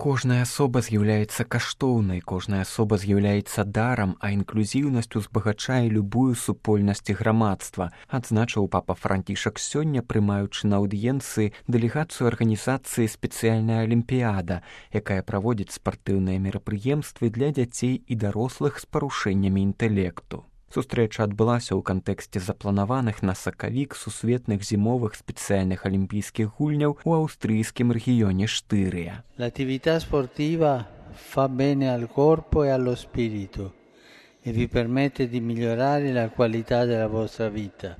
Кожная асоба з'яўляецца каштоўнай, кожная асоба з'яўляецца дарам, а інклюзіўнасць узбагачае любую супольнасць і грамадства, адзначыў папа Францішак сёння, прымаючы на аўдыенцыі дэлегацыю арганізацыі «Спецыяльная алімпіяда», якая праводзіць спартыўныя мерапрыемствы для дзяцей і дарослых з парушэннямі інтэлекту. Сустрэча адбылася ў кантэксце запланаваных на сакавік сусветных зімовых спецыяльных алімпійскіх гульняў у аўстрыйскім рэгіёне Штырыя. L'attività sportiva fa bene al corpo e allo spirito e vi permette di migliorare la qualità della vostra vita.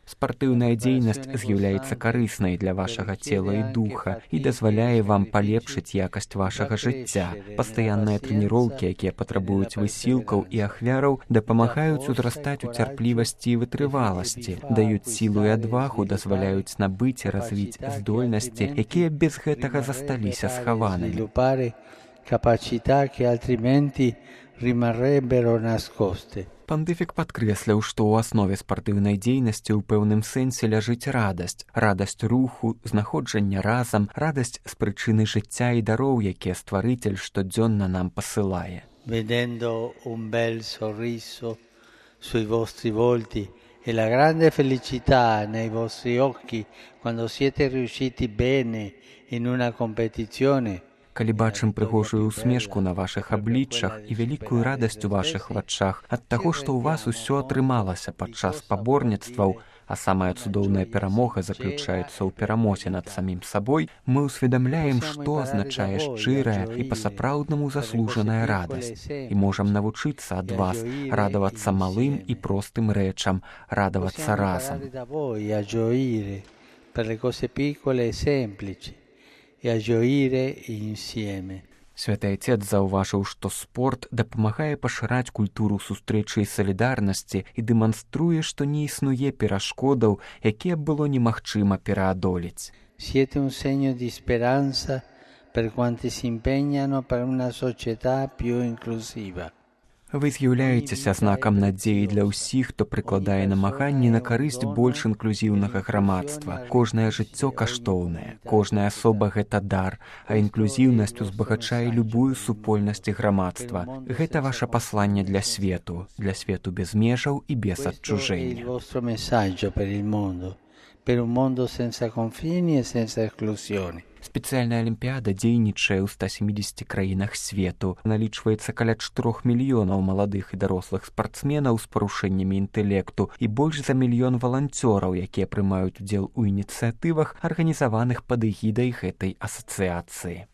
Спартыўная дзейнасць з'яўляецца карыснай для вашага цела і духа і дазваляе вам палепшыць якасць вашага жыцця. Пастаянныя трэніроўкі, якія патрабуюць высілкаў і ахвяраў, дапамагаюць узрастаць у цярплівасці і вытрываласці, даюць сілу і адвагу, дазваляюць набыць і развіць здольнасці, якія без гэтага засталіся схаванымі. Capacità che altrimenti rimarrebbero nascoste. Пандыфік падкрэсліў, што ў аснове спартыўнай дзейнасці ў пэўным сэнсе ляжыць радасць. Радасць руху, знаходжання разам, радасць з прычыны жыцця і дароў, якія стварыцель штодзённа нам пасылае. Vedendo un bel sorriso sui vostri volti e la grande felicità nei vostri occhi quando siete riusciti bene in una competizione. Калі бачым прыгожую усмешку на вашых абліччах і вялікую радасць у вашых вачах ад таго, што ў вас усё атрымалася падчас спаборніцтваў, а самая цудоўная перамога заключаецца ў перамозе над самім сабой, мы ўсведамляем, што азначае шчырая і па-сапраўднаму заслужаная радасць. І можам навучыцца ад вас радавацца малым і простым рэчам, радавацца разам. Святы Отец заўважыў, што спорт дапамагае пашыраць культуру сустрэчы і салідарнасці і дэманструе, што не існуе перашкодаў, якія было немагчыма пераадолець. Siete un segno di speranza per quanti si impegnano per una società più inclusiva. Вы з'яўляецеся знакам надзеі для ўсіх, хто прыкладае намаганні на карысць больш інклюзіўнага грамадства. Кожнае жыццё каштоўнае, кожная асоба – гэта дар, а інклюзіўнасць узбагачае любую супольнасць і грамадства. Гэта ваша пасланне для свету без межаў і без адчужэння. Per un mondo senza confini e senza esclusioni. Спецыяльная алімпіяда дзейнічае ў 170 краінах свету. Налічваецца каля 4 мільёнаў маладых і дарослых спартсменаў з парушэннямі інтэлекту і больш за 1 мільён валанцёраў, якія прымаюць удзел у ініцыятывах, арганізаваных пад эгідай гэтай асацыяцыі.